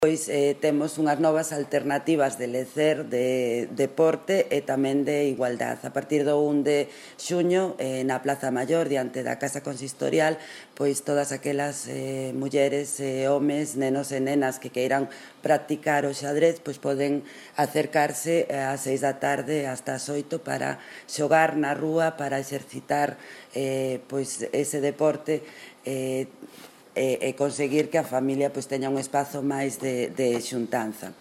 Pois temos unhas novas alternativas de lecer, de deporte e tamén de igualdade. A partir do 1 de xuño, na Plaza Maior, diante da Casa Consistorial, pois todas aquelas mulleres, homes, nenos e nenas que queiran practicar o xadrez, pois poden acercarse ás 6 da tarde hasta as 8 para xogar na rúa, para exercitar pois ese deporte e conseguir que a familia pois teña un espazo máis de xuntanza.